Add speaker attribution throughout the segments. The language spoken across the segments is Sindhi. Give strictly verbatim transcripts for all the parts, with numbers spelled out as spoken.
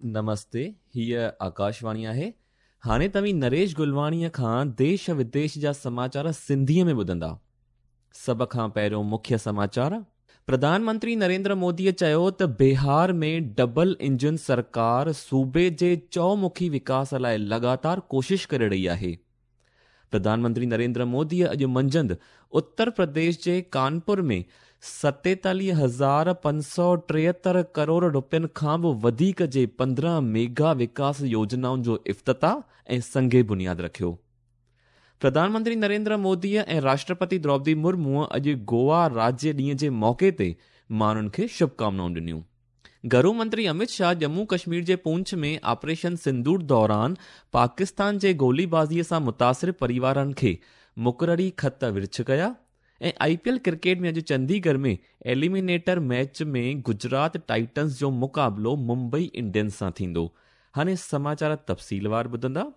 Speaker 1: نمستي، هيء آڪاشواڻي آهي. هاڻي توهين نريش گلواڻيء کان ديش وديش جا سماچار سنڌيء ۾ ٻڌندا. سڀ کان پهريون مکيه سماچار. پرڌان منتري نريندر موديء چيو ته بهار ۾ ڊبل انجن سرڪار صوبي جي چؤمکي وڪاس لاء لڳاتار ڪوشش ڪري رهي آهي. پرڌان منتري نريندر موديء اڄ منجهند اتر پرديش جي ڪانپور ۾ ستيتاليهه هزار پنج سؤ ٽيهتر ڪروڙ رپين کان به وڌيڪ جي پندرهن ميگا وڪاس يوجنائن جو افتتاح ۽ سنگ بنياد رکيو. پرڌان منتري نريندر موديء ۽ راشٽرپتي دروپدي مرموء اڄ گوا راجيه ڏينهن جي موقعي تي ماڻهن کي شڀڪامنائون ڏنيون. گهرو منتري امت شاهه ڄمون ڪشمير جي پونڇ ۾ آپريشن سندور دوران پاڪستان جي گوليبازيء سان متاثر پريوارن کي مقرري خط ورڇ ڪيا ۽ آئي پي ايل ڪرڪيٽ ۾ اڄ Chandigarh ۾ eliminator match ۾ Gujarat Titans جو مقابلو ممبئي انڊينز سان ٿيندو. هاڻي سماچار تفصيلوار ٻڌندا.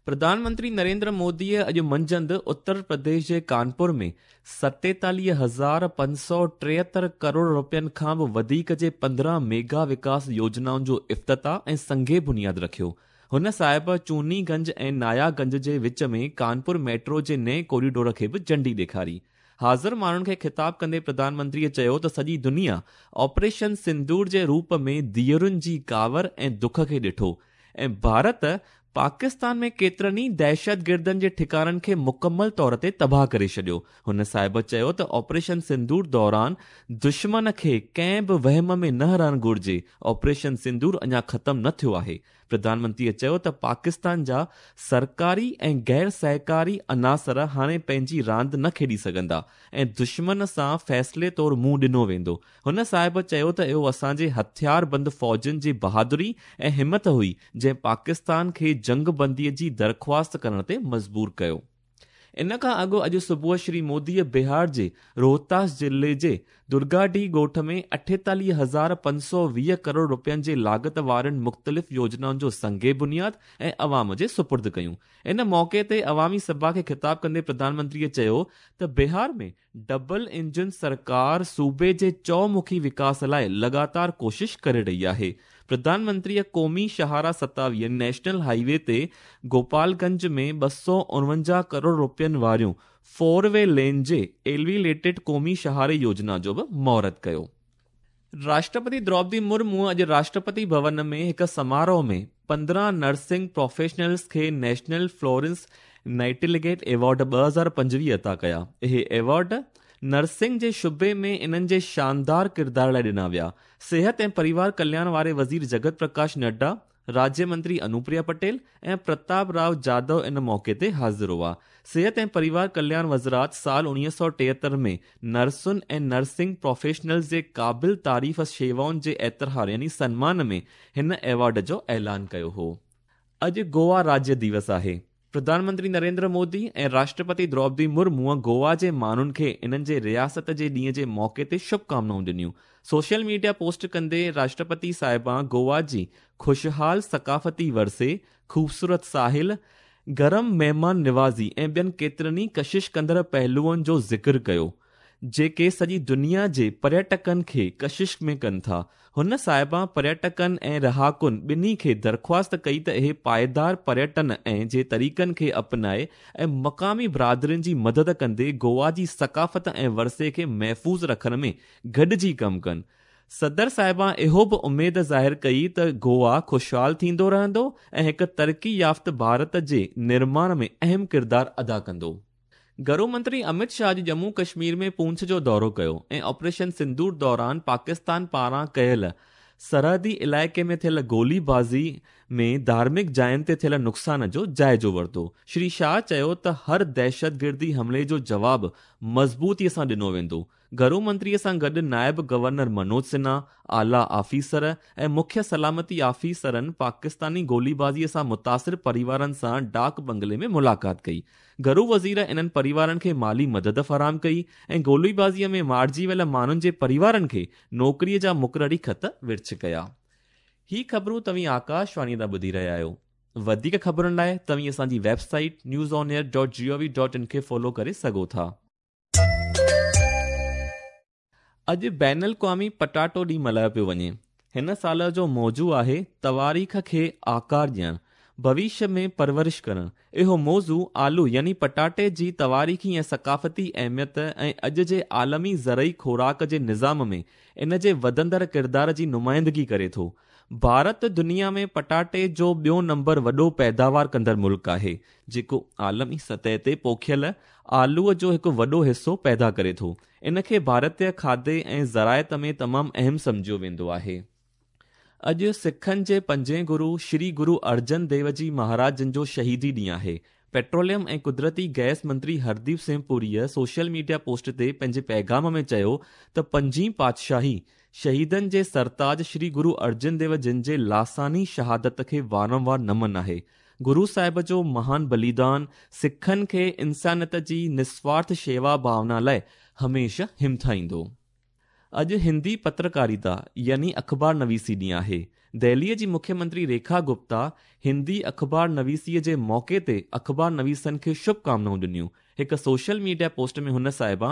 Speaker 1: پرڌان منتري نريندر موديء اڄ منجهند اتر پرديش جي ڪانپور ۾ ستيتاليهه هزار پنج سؤ ٽيهتر ڪروڙ رپين کان به وڌيڪ جي پندرهن ميگا وڪاس يوجنائن جو افتتاح ۽ سنگ بنياد رکيو. هن صاحب چوني گنج ۽ نايا گنج جي وچ ۾ ڪانپور ميٽرو جي نئين ڪوريڊور کي به جهنڊي ڏيکاري. حاضر ماڻهن کي خطاب ڪندي پرڌان منتريء چيو ته سڄي دنيا آپريشن سندور جي روپ ۾ ڌيئرن جي ڪاوڙ ۽ دک کي ڏٺو ۽ ڀارت پاڪستان ۾ ڪيترن ئي دهشتگردن جي ٺڪاڻن کي مڪمل طور تي تباهه ڪري ڇڏيو. هن صاحب چيو ته آپريشن سندور دوران دشمن کي ڪنهن به وهم ۾ نه رهڻ گهرجي. آپريشن سندور اڃا ختم نه ٿيو آهي. پرڌان منتريء چيو ته پاڪستان جا سرڪاري ۽ غير سهڪاري عناصر هاڻي پنهنجي راند نه کيڏي سگهندا ۽ دشمن سان فيصلي طور منهن ڏنو ويندو. هن صاحب چيو ته اهو اسان جي هٿياربند فوجن جي بهادري ۽ همت هئي جنهن پاڪستان کي جنگ بنديء جي درخواست ڪرڻ تي مجبور ڪيو. ان کان اڳ اڄ صبح شري موديء بهار جي روهتاس ضلعي جي درگاڊي ڳوٺ ۾ اٺيتاليهه هزار پنج سؤ ويهه ڪروڙ رپين جي لاڳت وارين مختلف يوجنائن جو سنگ بنياد ۽ عوام جي سپرد ڪيون. ان موقعي تي عوامي سڀا کي خطاب ڪندي پرڌان منتريء چيو ته بهار ۾ ڊبل انجن سرڪار صوبي جي چؤمکي وڪاس لاء لڳاتار ڪوشش ڪري رهي آهي. پرڌان منتريء قومي شاهراهه ستاويهه نيشنل هاءِ وي تي گوپال گنج ۾ ٻه سؤ اڻونجاهه ڪروڙ رپين واريون فور وي لين جي ايليويٽيڊ قومي شاهراهه يوجنا جو به مهورت ڪيو. راشٽرپتي دروپدي مرموء اڄ راشٽرپتي ڀون ۾ هڪ سماروهه ۾ پندرهن نرسنگ پروفيشنلز کي نيشنل فلورنس نائٽنگيل ايوارڊ ٻه هزار پنجويهه عطا ڪيا. اهي ايوارڊ نرسنگ جي شعبي ۾ انهن جي شاندار ڪردار لاءِ ڏنا ويا. صحت ۽ پريوار ڪلياڻ واري وزير جگت پرڪاش نڊا، راجيه منتري انوپريا پٽيل ۽ پرتاپ رائو جادو ان موقعي تي حاضر هئا. صحت ۽ پريوار ڪلياڻ وزارت سال اڻويهه سؤ ٽيهتر ۾ نرسن ۽ نرسنگ پروفيشنلز جي قابل تعريف شيوائن جي اعتراف يعني سنمان ۾ هن ايوارڊ جو اعلان ڪيو هو. اڄ گوا راجيه ديوس آهي. پرڌان منتري نريندر مودي ۽ راشٽرپتي دروپدي مرموء گوا جي ماڻهن کي انهن جي رياست جي ڏينهن جي موقعي تي شڀڪامنائون ڏنيون. سوشل ميڊيا پوسٽ ڪندي راشٽرپتي صاحبان گوا جي خوشحال ثقافتي ورثي، خوبصورت ساحل، گرم مهمان نوازي ۽ ٻين ڪيترن ئي ڪشش ڪندڙ پهلوئن جو ذڪر ڪيو، جيڪي سڄي دنيا جي پريٽڪن کي ڪشش ۾ ڪن ٿا. هن صاحبان پريٽڪن ۽ رهاڪن ٻنهي کي درخواست ڪئي ته اهي پائيدار پريٽن ۽ جي طريقن کي اپنائي ۽ مقامي برادرين جي مدد ڪندي گوا جي ثقافت ۽ ورثي کي محفوظ رکڻ ۾ گڏجي ڪم ڪن. صدر صاحبان اهو به اميد ظاهر ڪئي ته گوا خوشحال ٿيندو رهندو ۽ هڪ ترقي يافته ڀارت جي نرماڻ ۾ اهم ڪردار ادا ڪندو. گهرو منتري امت شاهه اڄ ڄمون ڪشمير ۾ پونڇ جو دورو ڪيو ۽ آپريشن سندور دوران پاڪستان پاران ڪيل سرحدي علائقي ۾ ٿيل گوليبازي ۾ ڌارمڪ جاين تي ٿيل نقصان جو جائزو ورتو. شري شاهه چيو ته هر دهشتگردي حملي جو جواب مضبوطيءَ سان ڏنو ويندو. گهرو منتريءَ سان گڏ نائب گورنر منوج سنها، اعليٰ آفيسر ۽ مکيه سلامتي آفيسرن پاڪستاني گوليبازيءَ سان متاثر پريوارن سان ڊاڪ بنگلي ۾ ملاقات ڪئي. گهرو وزير انهن پريوارن کي مالي مدد فراهم ڪئي ۽ گوليبازيءَ ۾ مارجي ويل ماڻهن جي پريوارن کي نوڪريءَ جا مقرري خط ورڇ ڪيا. هي خبرون توهين آڪاشواڻيءَ تان ٻڌي رهيا آهيو. وڌيڪ خبرن لاءِ توهين اسان جي website news on air dot G O V dot in کي فالو ڪري سگهو ٿا. اڄ بين الاقوامي پٽاٽو ڏينهن ملهايو پيو وڃي. هن سال جو موضوع آهي تواريخ کي آڪار ڏيڻ، ڀوشيه ۾ پرورش ڪرڻ. اهو موضوع آلو يعني پٽاٽي جي تواريخي ۽ ثقافتي اهميت ۽ اڄ جي عالمي زرعي خوراڪ جي نظام ۾ ان جي وڌندڙ ڪردار جي نمائندگي ڪري ٿو. ڀارت دنيا ۾ پٽاٽي جو ٻيو نمبر وڏو پيداوار ڪندڙ ملڪ آهي، جيڪو عالمي سطح تي پوکيل آلوءَ جو هڪ وڏو حصو پيدا ڪري ٿو. ان کي ڀارتيه کاڌي ۽ زراعت ۾ تمام اهم سمجهيو ويندو آهي. اڄ سکن جي پنجين گرو شري گرو ارجن ديو جي مهاراج جن جو شهيدي ڏينهن آهي. پيٽروليم ۽ قدرتي گئس منتري هرديپ سنگهه پوريءَ سوشل ميڊيا پوسٽ تي پنهنجي پيغام ۾ چيو ته پنجين پاتشاهي شهيدن جي سرتاج شري گرو ارجن ديو جن جي لاثاني شهادت کي وارنوار نمن آهي. گرو صاحب جو مهان بليدان سکن کي انسانيت جي نسوارٿ شيوا ڀاونا لاءِ هميشه همٿائيندو. اڄ هندي پترڪاريتا يعني اخبار نويسي ڏينهن آهي. دهليءَ جي مکيه منتري ريکا گپتا هندي اخبار نويسيءَ جي موقعي تي اخبار نويسن کي شڀ ڪامنائون ڏنيون. هڪ سوشل ميڊيا پوسٽ ۾ هن صاحبه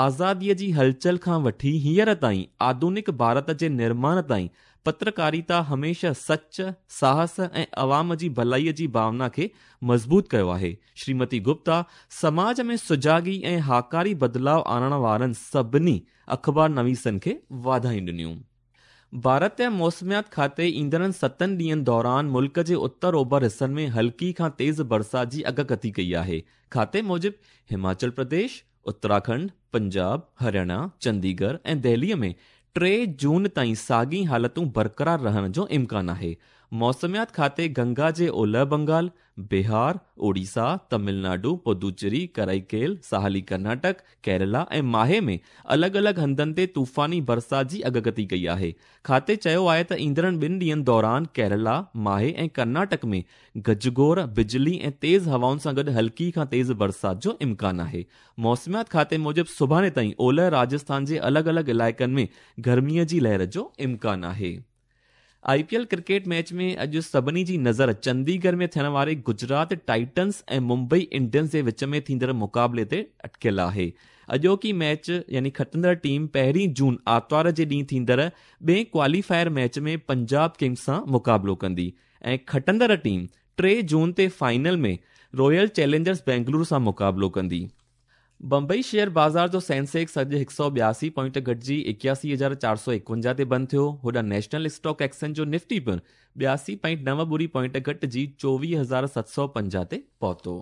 Speaker 1: آزاديءَ جي هلچل کان وٺي هينئر تائين آڌنڪ ڀارت جي نرماڻ تائين پترڪاريتا هميشه سچ، ساهس ۽ عوام جي ڀلائيءَ جي ڀاونا کي مضبوط ڪيو آهي. شريمتي گپتا سماج ۾ سجاڳي ۽ هاڪاري بدلاءُ آڻڻ وارن سڀني اخبار نويسن کي واڌايون ڏنيون. ڀارت موسميات کاتي ايندڙن ستن ڏينهن دوران ملڪ جي اتر اوڀر حصن ۾ هلڪي کان تيز برسات جي اڳڪٿي ڪئي آهي. کاتي موجب هماچل پرديش، اتراکنڊ، پنجاب، هرياڻا، چنديڳڙهه ۽ دهليءَ ۾ ٽي جون تائين ساڳي حالتون برقرار رهڻ جو امڪان آهي. موسميات کاتي گنگا جي اولهه بنگال، بهار، اوڙيسا، تامل ناڊو، پدوچيري، ڪرائيڪيل، ساحلي ڪرناٽڪ، ڪيرالا ۽ ماهي ۾ الڳ الڳ هنڌن تي طوفاني برسات جي اڳڪٿي ڪئي آهي. کاتي چيو آهي ته ايندڙ ٻن ڏينهن دوران ڪيرالا، ماهي ۽ ڪرناٽڪ ۾ گجگوڙ، بجلي ۽ تيز هوائن سان گڏ هلڪي کان تيز برسات جو امڪان آهي. موسميات کاتي موجب سڀاڻي تائين اولهه راجسٿان جي الڳ الڳ علائقن ۾ گرميءَ جي لهر جو امڪان آهي. I P L cricket match ۾ اڄ سڀني جي نظر چنديڳڙهه ۾ ٿيڻ واري گجرات ٽائٽنس ۽ ممبئي انڊينز جي وچ ۾ ٿيندڙ مقابلي تي اٽڪيل آهي. اڄوڪي ميچ يعني کٽندڙ ٽيم پهرين جون آرتوار جي ڏينهن ٿيندڙ ٻئي ڪواليفائر ميچ ۾ پنجاب ڪنگز سان مقابلو ڪندي ۽ کٽندڙ ٽيم ٽي جون تي فائنل ۾ رائل چئلينجرز بينگلورو سان مقابلو ڪندي. بمبئي شيئر بازار جو سينسيڪس اڄ هڪ سؤ ٻياسي پوائنٽ گهٽجي ايڪياسي هزار چار سؤ ايڪونجاهه تي بند ٿيو. هوڏانهن نيشنل اسٽاڪ ايڪسچينج جو نفٽي پڻ ٻياسي پوائنٽ نو ٻڙي پوائنٽ گهٽجي چوويهه هزار ست سؤ پنجاهه تي پهتو.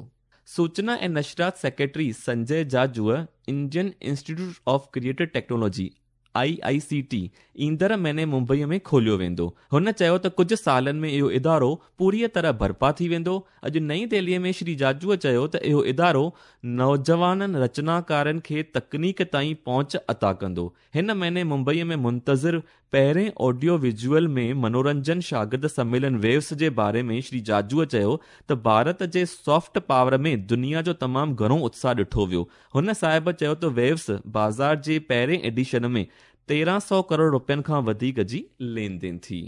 Speaker 1: سوچنا ۽ نشريات سيڪريٽري سنجي جاجوءَ Indian Institute of Creative Technology I I C T ايندڙ مهيني ممبئيءَ ۾ کوليو ويندو. هن چيو ته ڪجهه سالن ۾ اهو ادارو پوريءَ طرح برپا ٿي ويندو. اڄ نئين دهليءَ ۾ شري جاجوءَ چيو ته اهو ادارو نوجوانن رچناڪارن کي تڪنيڪ تائين پهچ عطا ڪندو. هن مهيني ممبئيءَ ۾ منتظر پهرين آڊيو ويزوئل ۾ منورنجن شاگرد سميلن ويوس جي باري ۾ شري جاجوءَ چيو ته ڀارت جي سافٽ پاور ۾ دنيا جو تمام گهڻو اتساهه ڏٺو ويو. هن صاحب چيو ته ويوس بازار جي پهرين ايڊيشن ۾ تيرهن سؤ ڪروڙ رپين کان وڌيڪ جي لين دين ٿي.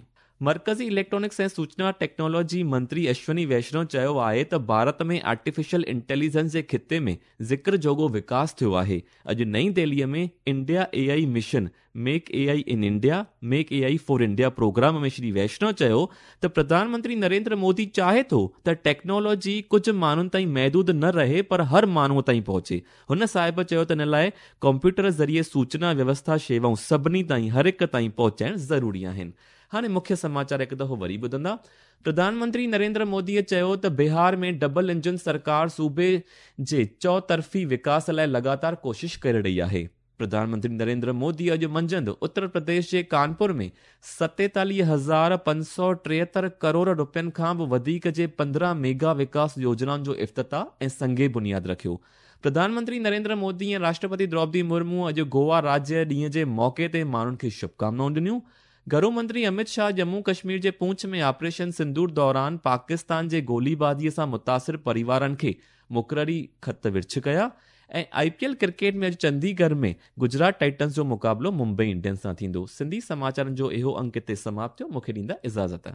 Speaker 1: مرڪزي اليڪٽرانڪس ۽ سوچنا ٽيڪنالاجي منتري اشوني ويشنو چيو آهي ته ڀارت ۾ آرٽيفيشل انٽيليجنس جي خطي ۾ ذڪر جوڳو وڪاس ٿيو آهي. اڄ نئين دهليءَ ۾ India A I mission make A I in India make A I for India programme ۾ Shri Vaishnaw چيو ته پرڌان منتري نريندر مودي چاهي ٿو ته ٽيڪنالاجي ڪجهه ماڻهن تائين محدود نه رهي پر هر ماڻهوءَ تائين پهچي. هن صاحب چيو ته ان لاءِ ڪمپيوٽر ذريعي سوچنا ويوسٿا شيوائون سڀني تائين هر هڪ تائين پهچائڻ ضروري آهن. هاڻي مکيه سماچار هڪ دفعو وري ٻڌندا. پرڌان منتري نريندر موديءَ چيو ته بهار ۾ ڊبل انجن سرڪار صوبي جي چؤطرفي وڪاس لاءِ لڳاتار ڪوشش ڪري رهي آهي. پرڌان منتري نريندر مودي اڄ منجهند اتر پرديش جي ڪانپور ۾ ستيتاليهه هزار پنج سؤ ٽيهتر ڪروڙ رپين کان به وڌيڪ جي پندرهن ميگا وڪاس يوجنائن جو افتتاح ۽ سنگ بنياد رکيو. پرڌان منتري نريندر مودي ۽ راشٽرپتي دروپدي مرمو اڄ گوا راجيه ڏينهن جي موقعي تي ماڻهن کي شڀڪامنائون ڏنيون. گهرو منتري امت شاهه ڄمون ڪشمير جي پونڇ ۾ آپريشن سندور دوران پاڪستان جي گوليبازيءَ سان متاثر پريوارن کي مقرري خط ورڇ ڪيا. ۽ I P L cricket ۾ اڄ چنديڳڙهه ۾ گجرات ٽائٽنز جو مقابلو ممبئي انڊينز سان ٿيندو. سنڌي سماچارن جو اهو انگ هتي سماپت ٿيو. مون کي ڏيندا اجازت.